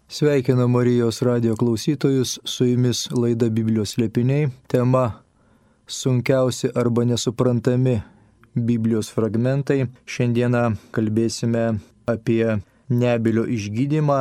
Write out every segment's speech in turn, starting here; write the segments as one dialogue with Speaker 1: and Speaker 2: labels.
Speaker 1: Sveikinu Marijos radio klausytojus, su jumis laida Biblijos slėpiniai. Tema sunkiausi arba nesuprantami Biblijos fragmentai. Šiandieną kalbėsime apie nebylio išgydymą,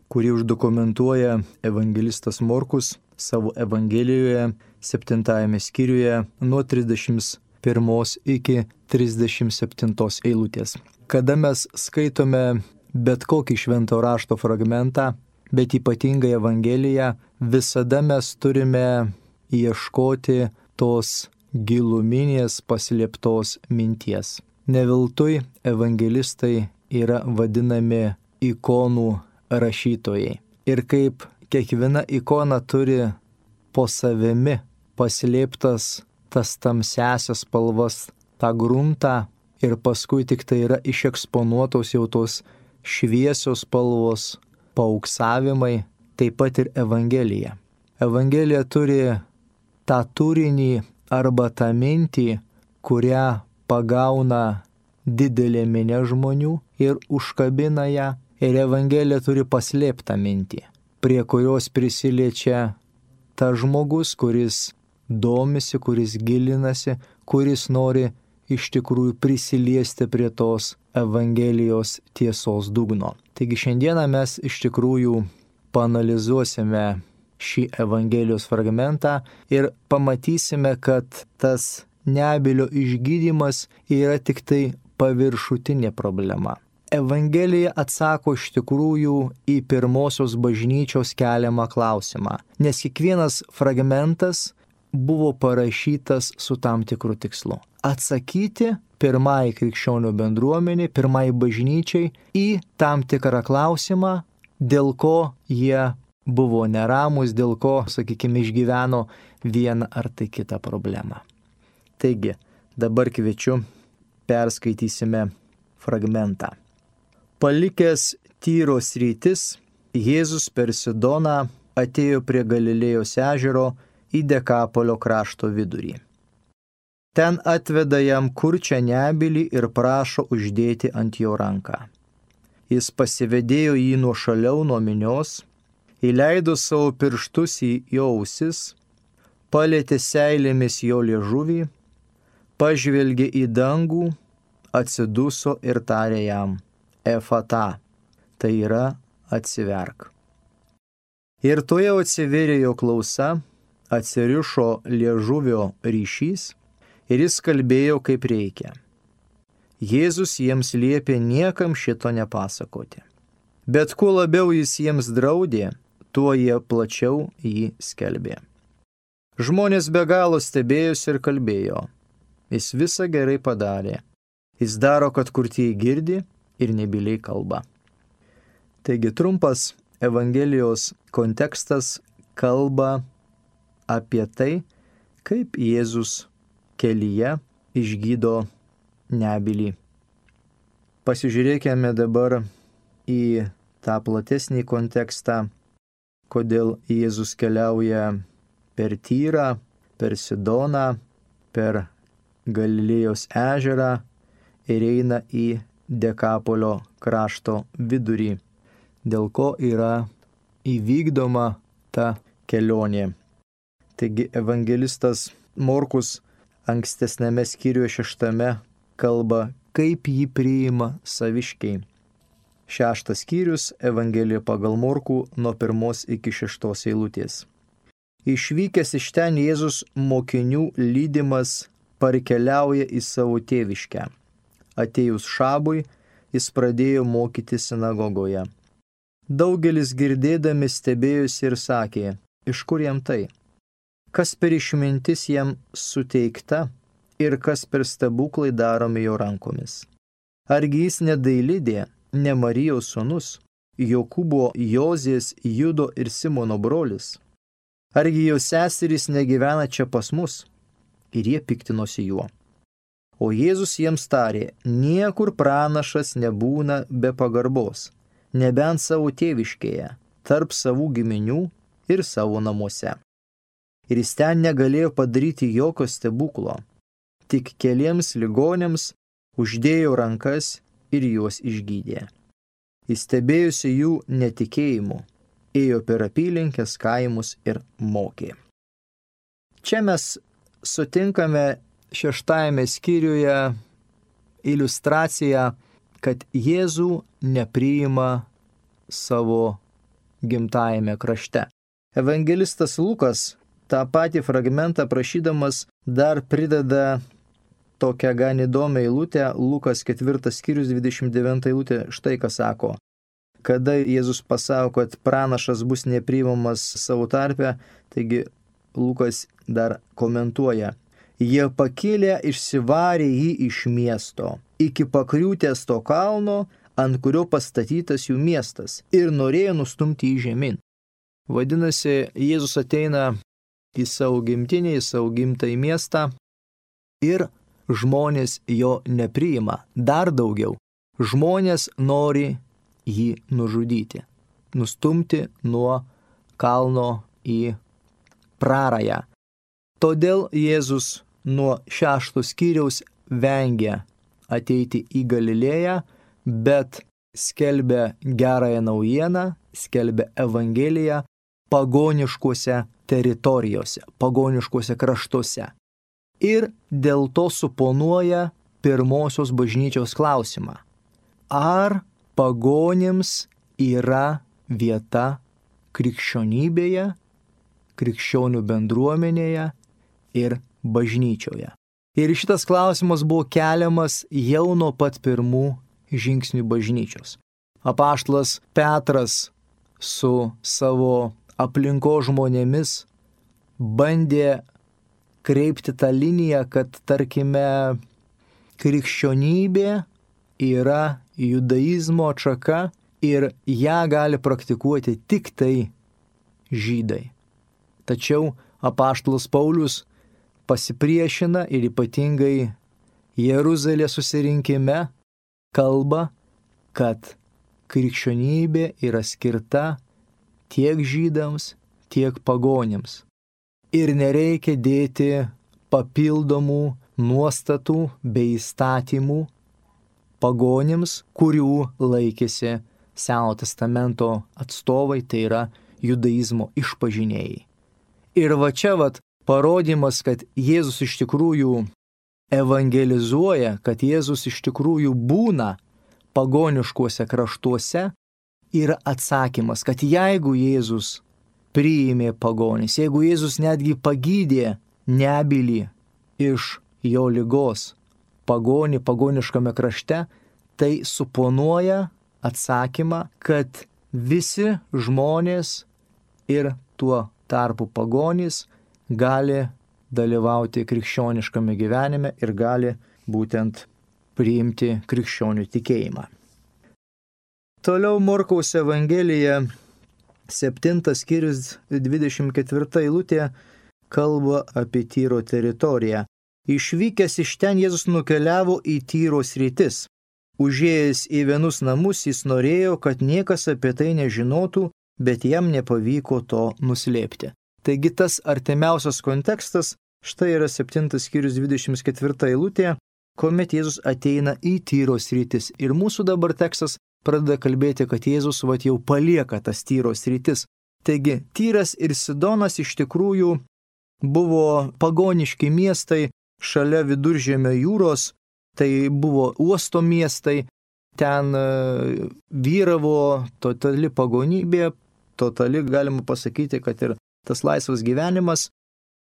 Speaker 1: kurį uždokumentuoja evangelistas Morkus savo Evangelijoje 7 skyriuje nuo 31 iki 37 eilutės. Kada mes skaitome bet kokį švento rašto fragmentą, bet ypatingai Evangeliją, visada mes turime ieškoti tos giluminės paslėptos minties. Neveltui evangelistai yra vadinami ikonų rašytojai. Ir kaip kiekviena ikona turi po savimi paslėptas tas tamsiasias spalvas, tą gruntą, ir paskui tik tai yra išeksponuotos jau tos šviesios spalvos, paauksavimai, taip pat ir Evangelija. Evangelija turi tą turinį arba tą mintį, kurią pagauna didelė minia žmonių ir užkabina ją. Ir Evangelija turi paslėptą mintį, prie kurios prisiliečia tas žmogus, kuris domisi, kuris gilinasi, kuris nori iš tikrųjų prisiliesti prie tos Evangelijos tiesos dugno. Taigi šiandieną mes iš tikrųjų paanalizuosime šį Evangelijos fragmentą ir pamatysime, kad tas nebylio išgydymas yra tik tai paviršutinė problema. Evangelija atsako iš tikrųjų į pirmosios bažnyčios keliamą klausimą, nes kiekvienas fragmentas buvo parašytas su tam tikru tikslu. Atsakyti pirmai krikščionių bendruomeniai, pirmai bažnyčiai į tam tikrą klausimą, dėl ko jie buvo neramus, dėl ko, sakykime, išgyveno vieną ar tai kitą problemą. Taigi, dabar kviečiu, perskaitysime fragmentą. Palikęs Tyro sritis, Jėzus per Sidoną atėjo prie Galilėjos ežero į Dekapolio krašto vidurį. Ten atveda jam kurčią nebylį ir prašo uždėti ant jo ranką. Jis pasivedėjo jį nuošaliau nuo minios, įleido savo pirštus į jo ausis, palietė seilėmis jo liežuvį, pažvelgė į dangų, atsiduso ir tarė jam: Efata, tai yra atsiverk. Ir tuojau atsivėrė jo klausa, atsirišo liežuvio ryšys ir jis kalbėjo kaip reikia. Jėzus jiems liepė niekam šito nepasakoti. Bet kuo labiau jis jiems draudė, tuo jie plačiau jį skelbė. Žmonės be galo stebėjosi ir kalbėjo: Jis visą gerai padarė. Jis daro, kad kurtieji girdi ir nebyliai kalba. Taigi trumpas Evangelijos kontekstas kalba apie tai, kaip Jėzus kelyje išgydo nebylį. Pasižiūrėkime dabar į tą platesnį kontekstą, kodėl Jėzus keliauja per Tyrą, per Sidoną, per Galilėjos ežerą ir eina į Dekapolio krašto vidurį, dėl ko yra įvykdoma ta kelionė. Taigi evangelistas Morkus ankstesnėme skyriuje 6 kalba, kaip jį priima saviškiai. 6 skyrius Evangelija pagal Morkų nuo 1 iki 6 eilutės. Išvykęs iš ten Jėzus mokinių lydimas parkeliauja į savo tėviškę. Atėjus šabui, jis pradėjo mokyti sinagogoje. Daugelis girdėdami stebėjosi ir sakė: Iš kur jam tai? Kas per išmintis jam suteikta ir kas per stebuklai daromi jo rankomis? Argi jis ne Dailidė, ne Marijos sūnus, Jokūbo, Jozės, Judo ir Simono brolis? Argi jo seserys negyvena čia pas mus? Ir jie piktinosi juo. O Jėzus jiems tarė: Niekur pranašas nebūna be pagarbos, nebent savo tėviškėje, tarp savų giminių ir savo namuose. Ir jis ten negalėjo padaryti jokio stebuklo, tik keliems ligoniams uždėjo rankas ir juos išgydė. Jis stebėjosi jų netikėjimu ėjo per apylinkes, kaimus ir mokė. Čia mes sutinkame 6 skyriuje iliustraciją, kad Jėzų nepriima savo gimtajame krašte. Evangelistas Lukas tą patį fragmentą prašydamas dar prideda tokią gan įdomią eilutę, Lukas 4 skyrius 29 eilutė, štai ką sako. Kada Jėzus pasako, kad pranašas bus nepriimamas savo tarpe, taigi Lukas dar komentuoja. Jie pakėlė išsivarė jį iš miesto, iki pakriūtės to kalno, ant kurio pastatytas jų miestas, ir norėjo nustumti jį žemyn. Vadinasi, Jėzus ateina į savo gimtinę, į savo gimtąjį miestą ir žmonės jo nepriima. Dar daugiau, žmonės nori jį nužudyti, nustumti nuo kalno į prarają. Todėl Jėzus nuo 6 skyriaus vengia ateiti į Galilėją, bet skelbia gerąją naujieną, skelbia Evangeliją pagoniškuose teritorijose, pagoniškuose kraštuose. Ir dėl to suponuoja pirmosios bažnyčios klausimą. Ar pagonims yra vieta krikščionybėje, krikščionių bendruomenėje ir bažnyčioje? Ir šitas klausimas buvo keliamas jau nuo pat pirmų žingsnių bažnyčios. Apaštalas Petras su savo aplinko žmonėmis bandė kreipti tą liniją, kad, tarkime, krikščionybė yra judaizmo atšaka ir ją gali praktikuoti tik tai žydai. Tačiau apaštalas Paulius pasipriešina ir ypatingai Jeruzalės susirinkime kalba, kad krikščionybė yra skirta tiek žydams, tiek pagonims. Ir nereikia dėti papildomų nuostatų bei įstatymų pagonims, kurių laikėsi Seno testamento atstovai, tai yra judaizmo išpažinėjai. Ir va čia parodymas, kad Jėzus iš tikrųjų evangelizuoja, kad Jėzus iš tikrųjų būna pagoniškuose kraštuose, yra atsakymas, kad jeigu Jėzus priėmė pagonis, jeigu Jėzus netgi pagydė nebylį iš jo ligos pagoniškame krašte, tai suponuoja atsakymą, kad visi žmonės ir tuo tarpu pagonys gali dalyvauti krikščioniškame gyvenime ir gali būtent priimti krikščionių tikėjimą. Toliau Morkaus Evangelija 7 skyrius 24 eilutė kalba apie Tyro teritoriją. Išvykęs iš ten Jėzus nukeliavo į Tyro sritis. Užėjęs į vienus namus jis norėjo, kad niekas apie tai nežinotų, bet jam nepavyko to nuslėpti. Taigi tas artimiausias kontekstas, štai yra 7 skyrius 24 eilutė, kuomet Jėzus ateina į Tyro sritis. Ir mūsų dabar tekstas pradeda kalbėti, kad Jėzus jau palieka tas Tyro sritis. Taigi Tyras ir Sidonas iš tikrųjų buvo pagoniški miestai šalia Viduržemio jūros, tai buvo uosto miestai, ten vyravo totali pagonybė, totali galima pasakyti, kad ir tas laisvas gyvenimas.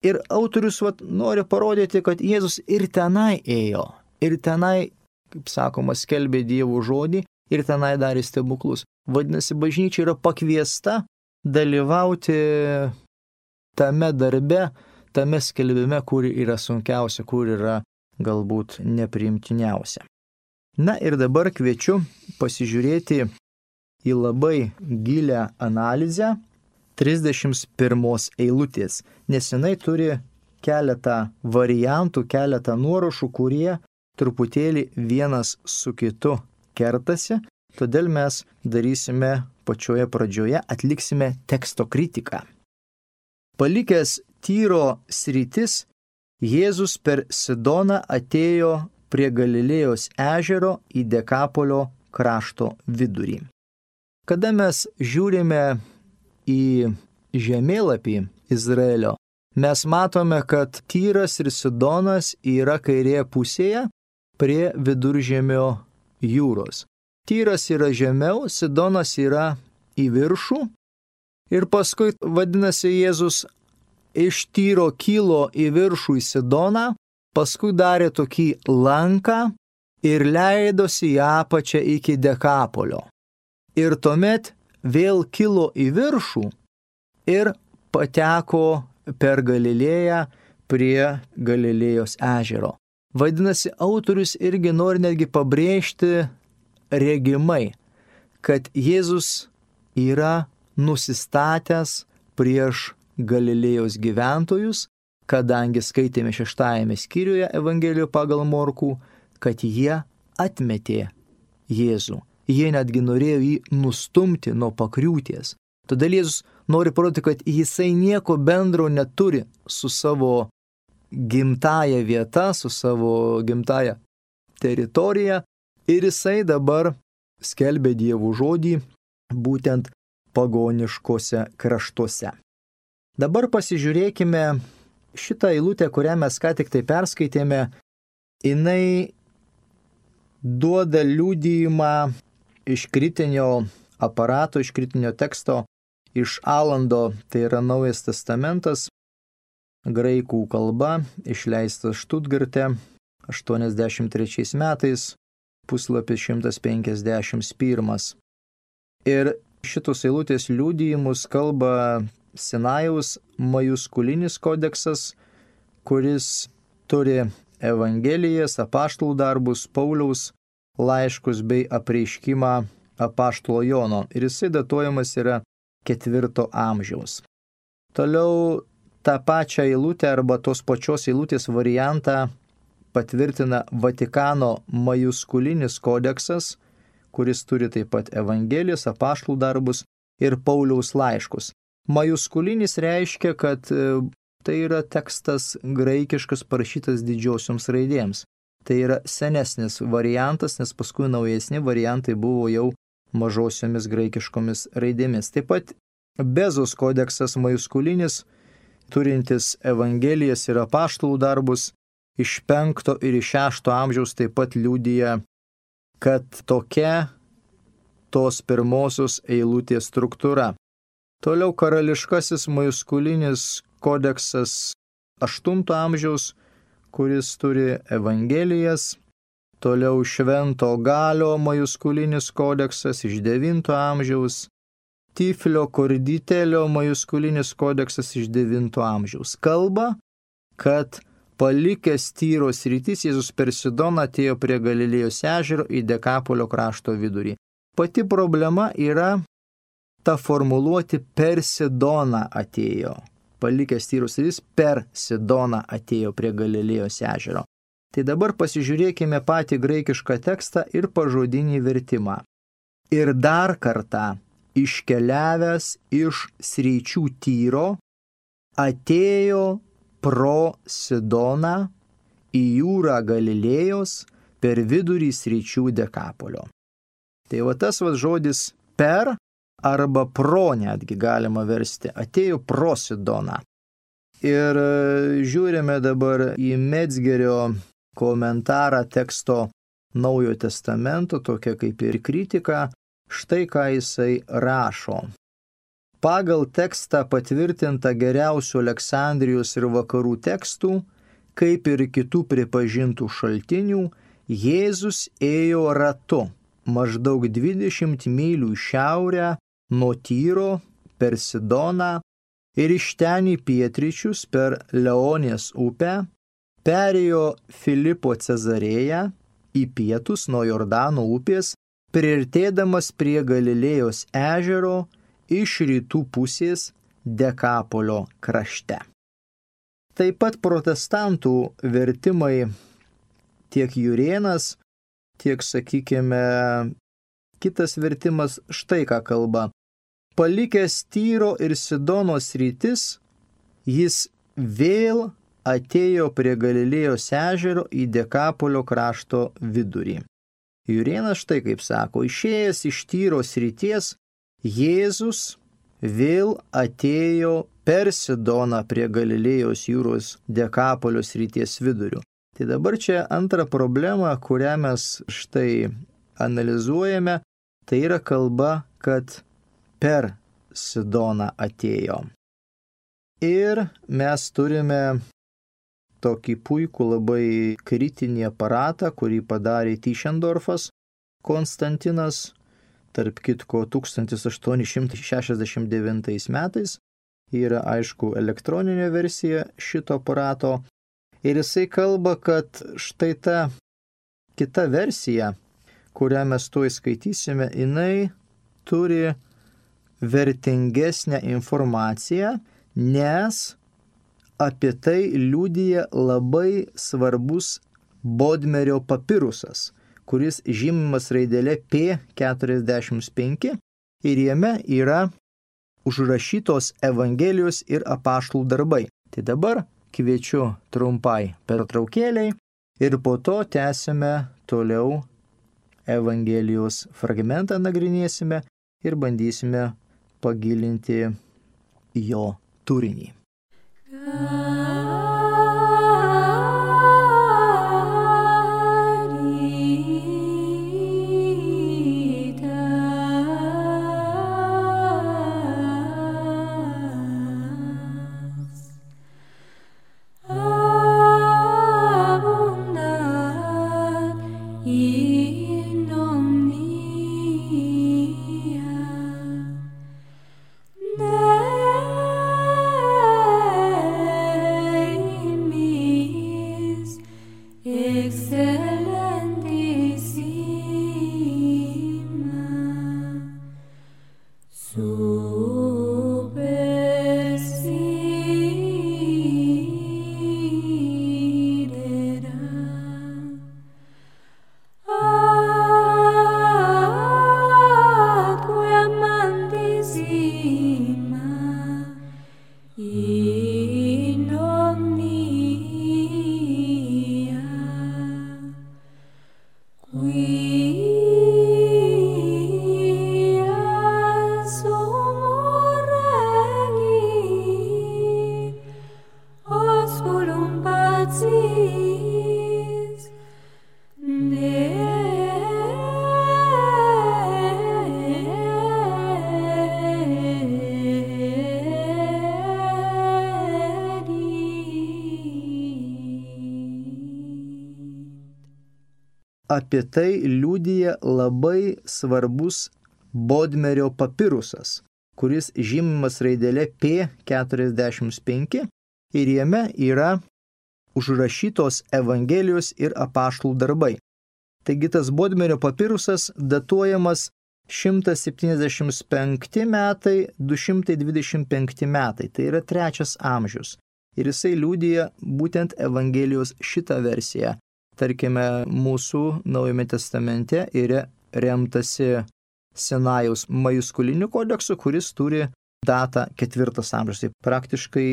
Speaker 1: Ir autorius nori parodyti, kad Jėzus ir tenai ėjo, ir tenai, kaip sakoma, skelbė Dievo žodį, ir tenai darė stebuklus. Vadinasi, bažnyčia yra pakviesta dalyvauti tame darbe, tame skelbime, kur yra sunkiausia, kur yra galbūt nepriimtiniausia. Na ir dabar kviečiu pasižiūrėti į labai gilią analizę 31 eilutės, nes jinai turi keletą variantų, keletą nuorašų, kurie truputėlį vienas su kitu kertasi, todėl mes darysime pačioje pradžioje, atliksime teksto kritiką. Palikęs Tyro sritis, Jėzus per Sidoną atėjo prie Galilėjos ežero į Dekapolio krašto vidurį. Kada mes žiūrime į žemėlapį Izraelio, mes matome, kad Tyras ir Sidonas yra kairėje pusėje prie Viduržemio jūros. Tyras yra žemiau, Sidonas yra į viršų. Ir paskui, vadinasi, Jėzus iš Tyro kilo į viršų į Sidoną, paskui darė tokį lanką ir leidosi į apačią iki Dekapolio. Ir tuomet vėl kilo į viršų ir pateko per Galilėją prie Galilėjos ežero. Vadinasi, autorius irgi nori netgi pabrėžti regimai, kad Jėzus yra nusistatęs prieš Galilėjos gyventojus, kadangi skaitėme 6 skyriuje Evangelijoje pagal Morkų, kad jie atmetė Jėzų. Jie netgi norėjo jį nustumti nuo pakriūties. Todėl Jėzus nori parodyti, kad jisai nieko bendro neturi su savo gimtaja vieta, su savo gimtaja teritorija ir jisai dabar skelbė Dievo žodį būtent pagoniškose kraštuose. Dabar pasižiūrėkime šitą eilutę, kurią mes ką tik tai perskaitėme. Jinai duoda liudijimą iš kritinio aparato, iš kritinio teksto, iš Alando, tai yra Naujas testamentas, graikų kalba, išleistas Štutgarte 83 metais, puslapis 151. Ir šitos eilutės liudijimus kalba Sinajaus majuskulinis kodeksas, kuris turi Evangelijas, apaštalų darbus, Pauliaus laiškus bei apreiškimą apaštalo Jono. Ir jisai datuojamas yra 4 amžiaus. Toliau tą pačią eilutę arba tos pačios eilutės variantą patvirtina Vatikano majuskulinis kodeksas, kuris turi taip pat Evangelijas, apaštalų darbus ir Pauliaus laiškus. Majuskulinis reiškia, kad tai yra tekstas graikiškas parašytas didžiosioms raidėms. Tai yra senesnis variantas, nes paskui naujesni variantai buvo jau mažosiomis graikiškomis raidėmis. Taip pat Bezos kodeksas majuskulinis, turintis Evangelijas ir apaštalų darbus, iš 5 ir 6 amžiaus taip pat liudija, kad tokia tos pirmosios eilutės struktūra. Toliau karališkasis majuskulinis kodeksas 8 amžiaus, kuris turi Evangelijas. Toliau Švento Galio majuskulinis kodeksas iš 9 amžiaus. Tiflio Korditelio majuskulinis kodeksas iš 9 amžiaus. Kalba, kad palikęs Tyro sritis, Jėzus per Sidoną atėjo prie Galilėjos ežero į Dekapolio krašto vidurį. Pati problema yra ta formuluoti per Sidoną atėjo. Palikęs Tyro sritis per Sidoną atėjo prie Galilėjos ežero. Tai dabar pasižiūrėkime patį graikišką tekstą ir pažodinį vertimą. Ir dar kartą iškeliavęs iš sričių Tyro, atėjo pro Sidoną į jūrą Galilėjos per vidurį sričių Dekapolio. Tai va tas žodis per arba pro netgi galima versti. Atėjo pro Sidoną. Ir žiūrime dabar į Metzgerio komentarą teksto Naujojo testamento, tokia kaip ir kritika. Štai ką jisai rašo. Pagal tekstą patvirtinta geriausių Aleksandrijos ir vakarų tekstų, kaip ir kitų pripažintų šaltinių, Jėzus ėjo ratu, maždaug 20 mylių į šiaurę nuo Tyro per Sidoną ir iš ten į pietryčius per Leonės upę, perėjo Filipo Cezarėją į pietus nuo Jordano upės, priartėdamas prie Galilėjos ežero iš rytų pusės Dekapolio krašte. Taip pat protestantų vertimai tiek Jurėnas, tiek, sakykime, kitas vertimas štai ką kalba. Palikęs Tyro ir Sidono sritis, jis vėl atėjo prie Galilėjos ežero į Dekapolio krašto vidurį. Jurėnas štai kaip sako, išėjęs iš Tyro srities, Jėzus vėl atėjo per Sidoną prie Galilėjos jūros Dekapolio srities vidurių. Tai dabar čia antra problema, kurią mes štai analizuojame, tai yra kalba, kad per Sidoną atėjo. Ir mes turime tokį puikų labai kritinį aparatą, kurį padarė Tischendorfas Konstantinas, tarp kitko 1869 metais. Yra aišku elektroninė versija šito aparato. Ir jisai kalba, kad štai ta kita versija, kurią mes tuoj skaitysime, jinai turi vertingesnę informaciją, nes apie tai liudija labai svarbus Bodmerio papirusas, kuris žymimas raidele P45 ir jame yra užrašytos Evangelijos ir apaštalų darbai. Tai dabar kviečiu trumpai pertraukėliai ir po to tęsime toliau Evangelijos fragmentą nagrinėsime ir bandysime pagilinti jo turinį. Apie tai liudija labai svarbus Bodmerio papirusas, kuris žymimas raidele P45 ir jame yra užrašytos Evangelijos ir apaštalų darbai. Taigi tas Bodmerio papirusas datuojamas 175 metai, 225 metai, tai yra 3 amžius. Ir jisai liudija būtent Evangelijos šitą versiją. Tarkime, mūsų Naujame testamente yra remtasi Sinajaus majuskuliniu kodeksu, kuris turi datą 4 amžius. Tai praktiškai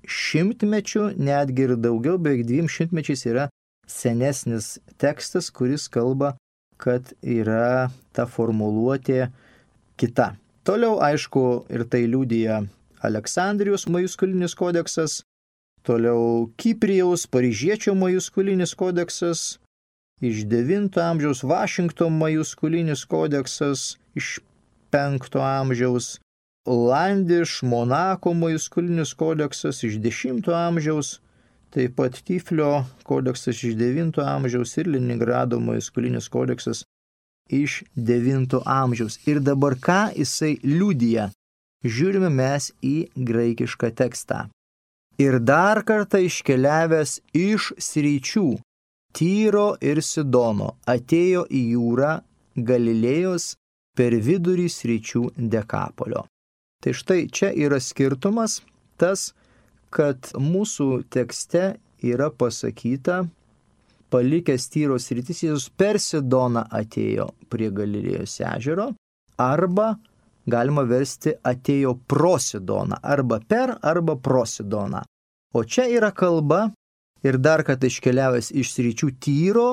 Speaker 1: 100 mečių, netgi ir daugiau, beveik 200 mečiais yra senesnis tekstas, kuris kalba, kad yra ta formuluotė kita. Toliau, aišku, ir tai liudija Aleksandrijos majuskulinis kodeksas, toliau Kiprijaus paryžiečio majuskulinis kodeksas, iš 9 amžiaus Vašingtono majuskulinis kodeksas, iš 5 amžiaus Landiš, Monako majuskulinis kodeksas iš 10 amžiaus, taip pat Tiflio kodeksas iš 9 amžiaus ir Leningrado majuskulinis kodeksas iš 9 amžiaus. Ir dabar ką jisai liudija? Žiūrime mes į graikišką tekstą. Ir dar kartą iškeliavęs iš sričių Tyro ir Sidono atėjo į jūrą Galilėjos per vidurį sričių Dekapolio. Tai štai čia yra skirtumas tas, kad mūsų tekste yra pasakyta, palikęs Tyro sritis, Jėzus per Sidoną atėjo prie Galilėjos ežero, arba galima versti atėjo pro Sidoną, arba per, arba pro Sidoną. O čia yra kalba ir dar kad iškeliavęs iš sričių Tyro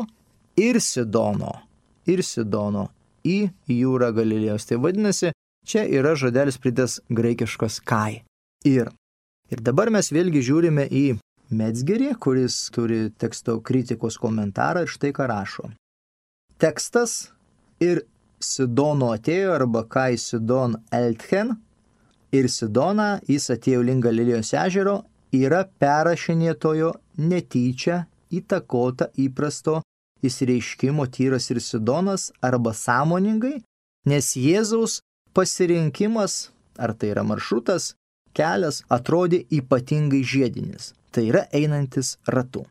Speaker 1: ir Sidono į jūrą Galilėjos. Tai vadinasi, Čia yra žodelis pridės graikiškas kai. Ir dabar mes vėlgi žiūrime į Metzgerį, kuris turi teksto kritikos komentarą ir štai ką rašo. Tekstas ir Sidono atėjo arba kai Sidon Eltchen ir Sidona, jis atėjo link Galilėjos ežero, yra perrašinėtojo netyčia įtakota įprasto įsireiškimo Tyras ir Sidonas arba sąmoningai, nes Jėzaus pasirinkimas, ar tai yra maršrutas, kelias, atrodė ypatingai žiedinis, tai yra einantis ratu.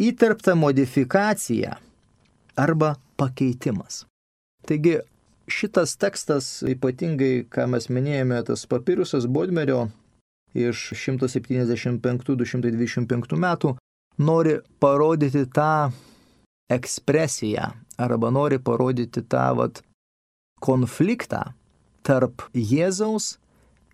Speaker 1: Įterpta modifikacija arba pakeitimas. Taigi šitas tekstas, ypatingai, ką mes minėjome, tas papirusas Bodmerio iš 175-225 metų, nori parodyti tą ekspresiją arba nori parodyti tą konfliktą tarp Jėzaus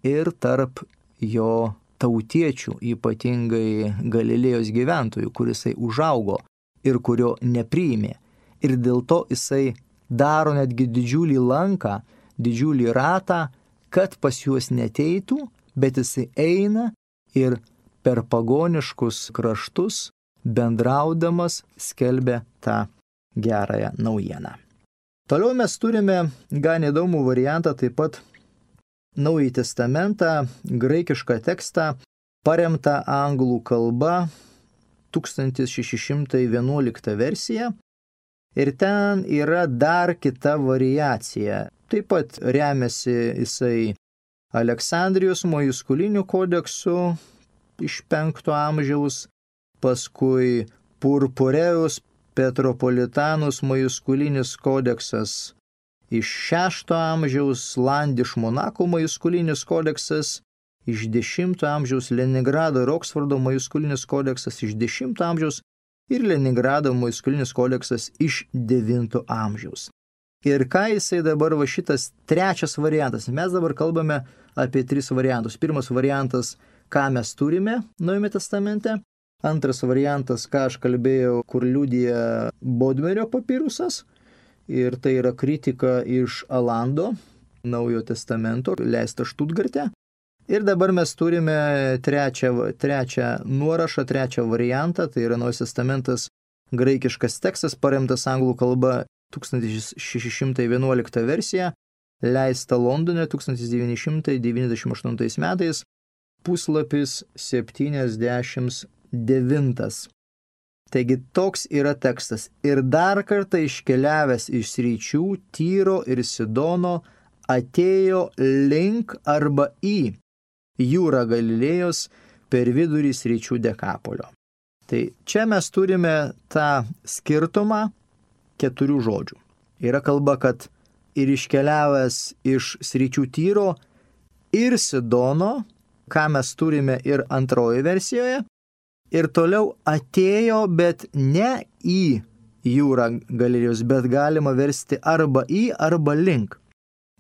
Speaker 1: ir tarp jo tautiečių, ypatingai Galilėjos gyventojų, kurisai užaugo ir kurio nepriėmė. Ir dėl to jisai daro netgi didžiulį lanką, didžiulį ratą, kad pas juos neteitų, bet jisai eina ir per pagoniškus kraštus bendraudamas skelbia tą gerąją naujieną. Toliau mes turime gan įdomų variantą, taip pat Naująjį testamentą, graikišką tekstą, paremtą anglų kalba, 1611 versija. Ir ten yra dar kita variacija. Taip pat remiasi jisai Aleksandrijos Mojuskuliniu kodeksu iš 5 amžiaus, paskui Purpureus Petropolitanus Mojuskulinis kodeksas iš 6 amžiaus, Landiš Monako Mojuskulinis kodeksas iš 10 amžiaus, Leningrado ir Oksfordo Mojuskulinis kodeksas iš 10 amžiaus ir Leningrado Mojuskulinis kodeksas iš 9 amžiaus. Ir ką jisai dabar šitas trečias variantas? Mes dabar kalbame apie 3 variantus. Pirmas variantas, ką mes turime Naujame testamente. Antras variantas, ką aš kalbėjau, kur liudija Bodmerio papirusas. Ir tai yra kritika iš Alando, Naujojo testamento, leista Štutgarte. Ir dabar mes turime trečią nuorašą, trečią variantą, tai yra Naujas testamentas, graikiškas tekstas, paremtas anglų kalba 1611 versija, leista Londone 1998 metais, puslapis 79. Taigi toks yra tekstas. Ir dar kartą iškeliavęs iš sričių Tyro ir Sidono atėjo link arba į jūrą Galilėjos per vidurį sričių Dekapolio. Tai čia mes turime tą skirtumą 4 žodžių. Yra kalba, kad ir iškeliavęs iš sričių Tyro ir Sidono, ką mes turime ir antroje versijoje, ir toliau atėjo, bet ne į jūrą Galilėjos, bet galima versti arba į, arba link.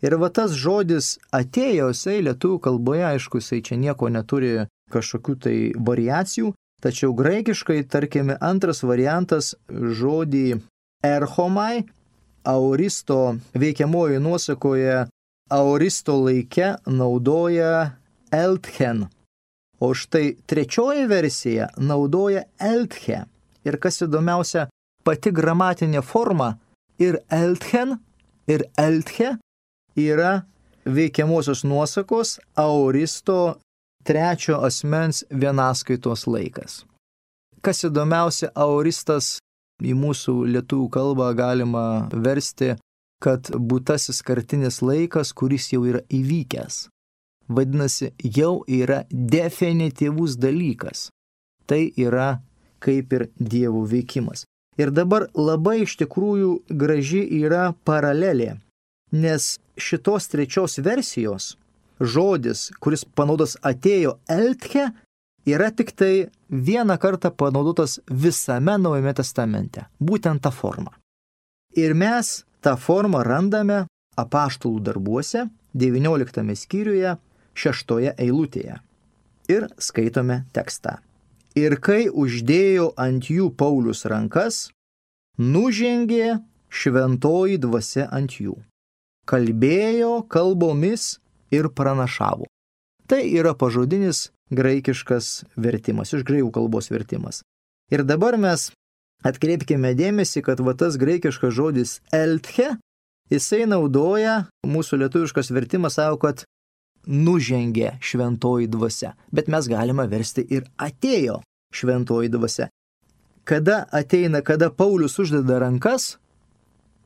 Speaker 1: Ir tas žodis atėjo, jisai lietuvių kalboje, aišku, jisai čia nieko neturi kažkokių tai variacijų, tačiau graikiškai, tarkime, antras variantas žodį erchomai, aoristo veikiamojo nuosakoje, aoristo laike naudoja eltchen. O štai trečioji versija naudoja eltche. Ir kas įdomiausia, pati gramatinė forma ir eltchen, ir eltche yra veikiamosios nuosakos aoristo trečio asmens vienaskaitos laikas. Kas įdomiausia, aoristas į mūsų lietuvių kalbą galima versti, kad būtasis kartinis laikas, kuris jau yra įvykęs. Vadinasi, jau yra definityvus dalykas. Tai yra kaip ir Dievo veikimas. Ir dabar labai iš tikrųjų graži yra paralelė, nes šitos trečios versijos žodis, kuris panaudotas atėjo eltche, yra tik tai vieną kartą panaudotas visame Naujame testamente. Būtent ta forma. Ir mes tą formą randame apaštalų darbuose, 19 skyriuje, 6 eilutėje. Ir skaitome tekstą. Ir kai uždėjo ant jų Paulius rankas, nužengė šventoji dvasia ant jų. kalbėjo kalbomis ir pranašavo. Tai yra pažodinis graikiškas vertimas, iš graikų kalbos vertimas. Ir dabar mes atkreipkime dėmesį, kad tas graikiškas žodis eltche, jisai naudoja, mūsų lietuviškas vertimas sako, kad nužengė šventoji dvasia, bet mes galime versti ir atėjo šventoji dvasia. Kada ateina, kada Paulius uždeda rankas,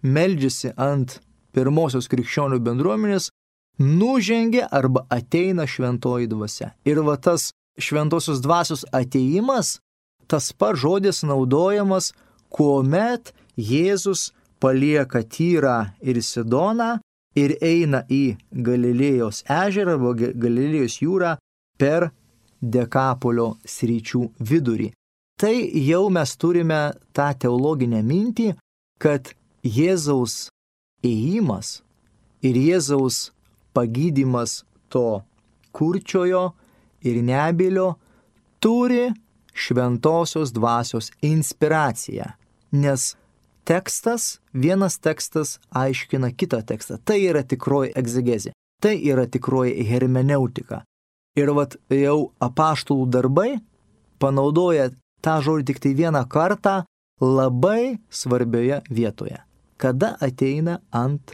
Speaker 1: meldžiasi ant pirmosios krikščionių bendruomenės, nužengė arba ateina šventoji dvasia. Ir tas šventosios dvasios ateimas, tas pats žodis naudojamas, kuomet Jėzus palieka Tyrą ir Sidoną ir eina į Galilėjos ežerą arba Galilėjos jūrą per Dekapolio sričių vidurį. Tai jau mes turime tą teologinę mintį, kad Jėzaus ėjimas ir Jėzaus pagydymas to kurčiojo ir nebylio turi šventosios dvasios inspiraciją, nes vienas tekstas aiškina kitą tekstą. Tai yra tikroji egzegezė, tai yra tikroji hermeneutika. Ir jau apaštalų darbai panaudoja tą žodį tik tai vieną kartą labai svarbioje vietoje, kada ateina ant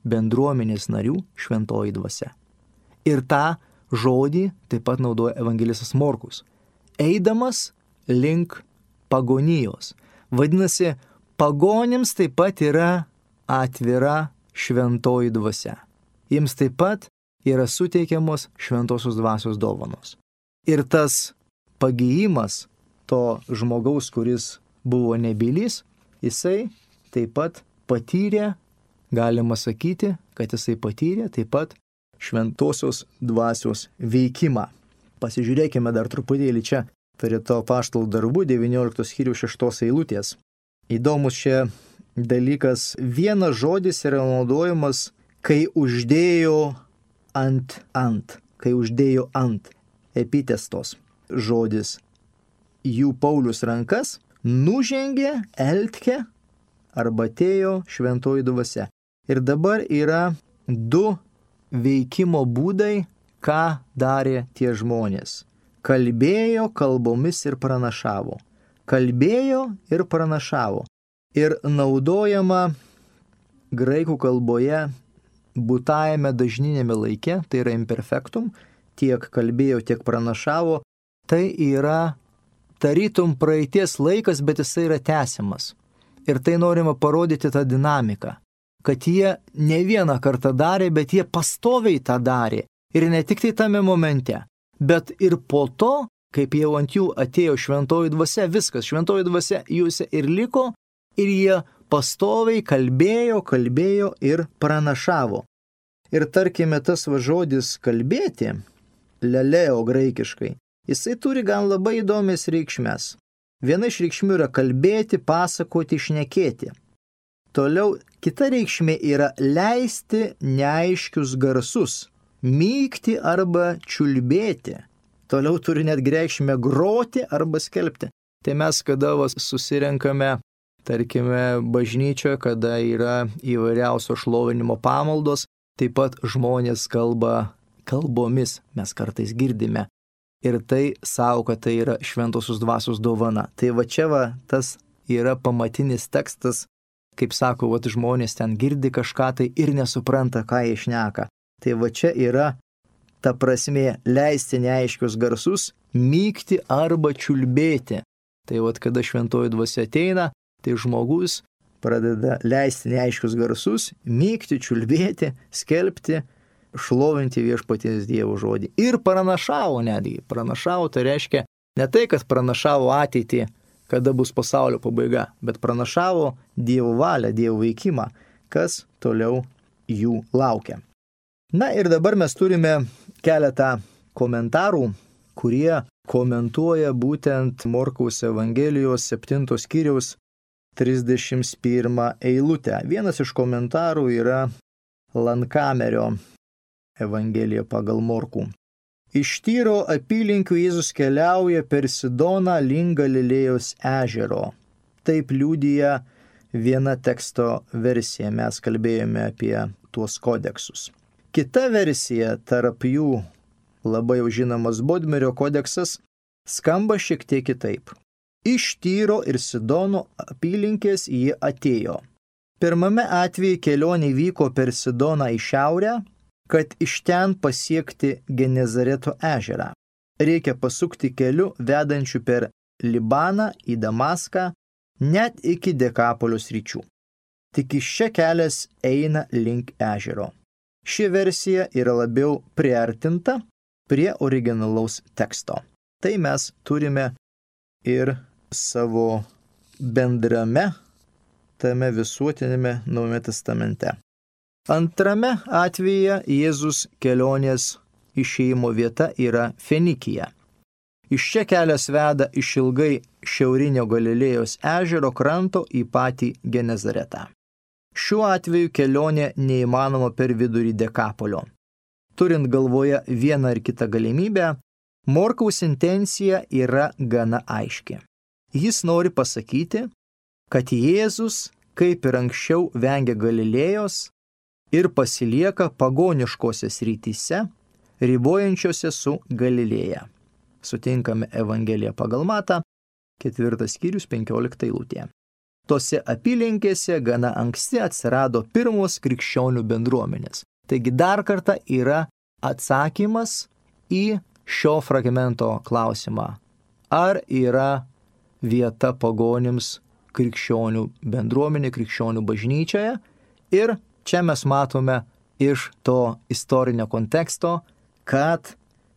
Speaker 1: bendruomenės narių šventoji dvasia. Ir tą žodį taip pat naudoja evangelistas Morkus, eidamas link pagonijos. Vadinasi, pagonims taip pat yra atvira šventoji dvasia. Jiems taip pat yra suteikiamos šventosios dvasios dovanos. Ir tas pagijimas to žmogaus, kuris buvo nebylys, jisai taip pat patyrė, galima sakyti, kad jisai patyrė taip pat šventosios dvasios veikimą. Pasižiūrėkime dar truputėlį čia prie to apaštalų darbų 19 skyriaus 6 eilutės. Įdomus čia dalykas, vienas žodis yra naudojamas, kai uždėjo kai uždėjo ant epitestos žodis. Jų Paulius rankas nužengė eltche arba atėjo šventoji dvasia. Ir dabar yra du veikimo būdai, ką darė tie žmonės. Kalbėjo kalbomis ir pranašavo. Kalbėjo ir pranašavo. Ir naudojama graikų kalboje būtajame dažninėme laike, tai yra imperfektum, tiek kalbėjo, tiek pranašavo, tai yra tarytum praeities laikas, bet jisai yra tęsiamas. Ir tai norima parodyti tą dinamiką, kad jie ne vieną kartą darė, bet jie pastoviai tą darė. Ir ne tik tai tame momente, bet ir po to, kaip jau ant jų atėjo šventoji dvasia, viskas, šventoji dvasia juose ir liko, ir jie pastoviai kalbėjo ir pranašavo. Ir tarkime, tas žodis kalbėti, leleo graikiškai, jisai turi gan labai įdomias reikšmes. Viena iš reikšmių yra kalbėti, pasakoti, šnekėti. Toliau kita reikšmė yra leisti neaiškius garsus, mykti arba čiulbėti. Toliau turi net reikšmę groti arba skelbti. Tai mes kada susirenkame, tarkime, bažnyčioje, kada yra įvairiausio šlovinimo pamaldos, taip pat žmonės kalba kalbomis, mes kartais girdime. Ir tai savo, kad tai yra šventosios dvasios dovana. Tai čia tas yra pamatinis tekstas, kaip sako, žmonės ten girdi kažką tai ir nesupranta, ką jie šneka. Tai čia yra ta prasmė leisti neaiškius garsus, mykti arba čiulbėti. Tai kada šventoji dvasia ateina, tai žmogus pradeda leisti neaiškius garsus, mykti, čiulbėti, skelbti, šlovinti viešpaties Dievo žodį. Ir pranašavo netgi. Pranašavo tai reiškia ne tai, kad pranašavo ateitį, kada bus pasaulio pabaiga, bet pranašavo Dievo valią, Dievo veikimą, kas toliau jų laukia. Na ir dabar mes turime keletą komentarų, kurie komentuoja būtent Morkaus Evangelijos 7 skyriaus 31 eilutę. Vienas iš komentarų yra Lankamerio Evangelija pagal Morkų. Iš Tyro apylinkių Jėzus keliauja per Sidoną link Galilėjos ežero. Taip liudija viena teksto versija. Mes kalbėjome apie tuos kodeksus. Kita versija, tarp jų labai jau žinomas Bodmerio kodeksas, skamba šiek tiek kitaip. Iš Tyro ir Sidono apylinkės jie atėjo. Pirmame atveju kelionė vyko per Sidoną į šiaurę, kad iš ten pasiekti Genezareto ežerą. Reikia pasukti keliu vedančiu per Libaną į Damaską, net iki Dekapolio sričių. Tik iš čia kelias eina link ežero. Ši versija yra labiau priartinta prie originalaus teksto. Tai mes turime ir savo bendrame, tame visuotinėme Naujame testamente. Antrame atveju Jėzus kelionės išėjimo vieta yra Fenikija. Iš čia kelias veda išilgai šiaurinio Galilėjos ežero kranto į patį Genezaretą. Šiuo atveju kelionė neįmanoma per vidurį Dekapolio. Turint galvoje vieną ar kitą galimybę, Morkaus intencija yra gana aiški. Jis nori pasakyti, kad Jėzus, kaip ir anksčiau, vengia Galilėjos ir pasilieka pagoniškose srityse, ribojančiose su Galilėja. Sutinkame Evangeliją pagal Matą, 4 skyrius 15 eilutė. Tose apylinkėse gana anksti atsirado pirmos krikščionių bendruomenės. Taigi dar kartą yra atsakymas į šio fragmento klausimą. Ar yra vieta pagonims krikščionių bendruomenė, krikščionių bažnyčioje? Ir čia mes matome iš to istorinio konteksto, kad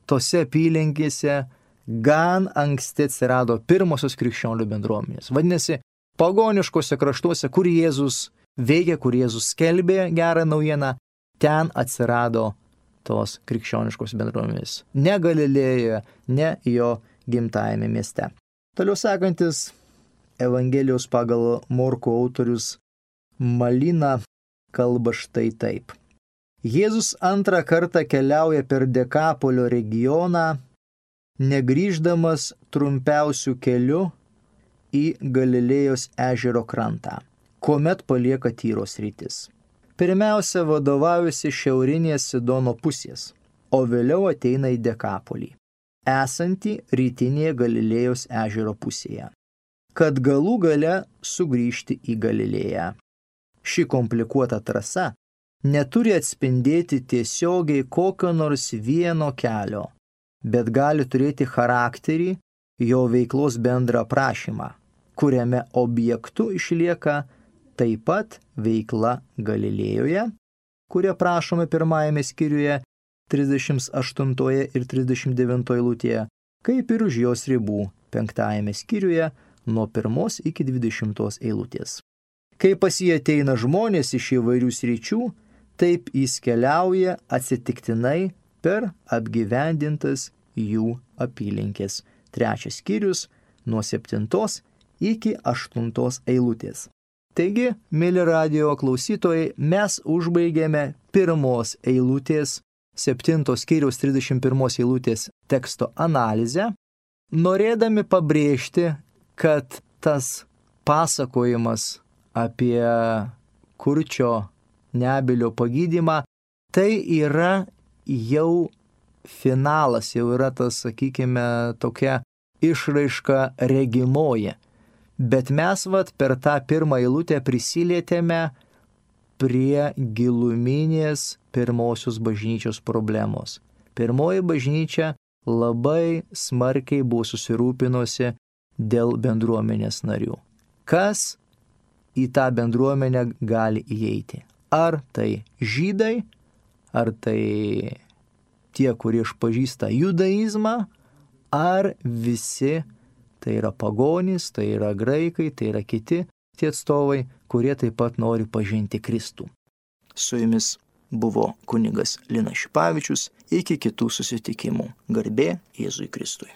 Speaker 1: tose apylinkėse gan anksti atsirado pirmosios krikščionių bendruomenės. Vadinasi, pagoniškose kraštuose, kur Jėzus veikia, kur Jėzus skelbė gerą naujieną, ten atsirado tos krikščioniškos bendruomenės. Ne Galilėjoje, ne jo gimtajame mieste. Toliau sekantis Evangelijos pagal Morkų autorius Malina kalba štai taip. Jėzus antrą kartą keliauja per Dekapolio regioną, negrįždamas trumpiausių kelių į Galilėjos ežero krantą, kuomet palieka Tyro sritis. Pirmiausia vadovaujasi šiaurinės Sidono pusės, o vėliau ateina į Dekapolį, esantį rytinėje Galilėjos ežero pusėje, kad galų gale sugrįžti į Galilėją. Ši komplikuota trasa neturi atspindėti tiesiogiai kokio nors vieno kelio, bet gali turėti charakterį jo veiklos bendrą aprašymą, kuriame objektu išlieka taip pat veikla Galilėjoje, kuria prašome pirmajame skyriuje 38 ir 39 eilutėje, kaip ir už jos ribų 5 skyriuje nuo 1 iki 20 eilutės. Kai pas jį ateina žmonės iš įvairių sričių, taip jis keliauja atsitiktinai per apgyvendintas jų apylinkės. 3 skyrius nuo 7 iki 8 eilutės. Taigi, mėly radijo klausytojai, mes užbaigėme 1 eilutės, 7 skyriaus 31 eilutės teksto analizę, norėdami pabrėžti, kad tas pasakojimas apie kurčio nebylio pagydymą, tai yra jau finalas, jau yra tas, sakykime, tokia išraiška regimoji. Bet mes per tą 1 eilutę prisilietėme prie giluminės pirmosios bažnyčios problemos. Pirmoji bažnyčia labai smarkiai buvo susirūpinusi dėl bendruomenės narių. Kas į tą bendruomenę gali įeiti? Ar tai žydai, ar tai tie, kurie išpažįsta judaizmą, ar visi, tai yra pagonys, tai yra graikai, tai yra kiti tie atstovai, kurie taip pat nori pažinti Kristų. Su jumis buvo kunigas Linas Šipavičius, iki kitų susitikimų. Garbė Jėzui Kristui.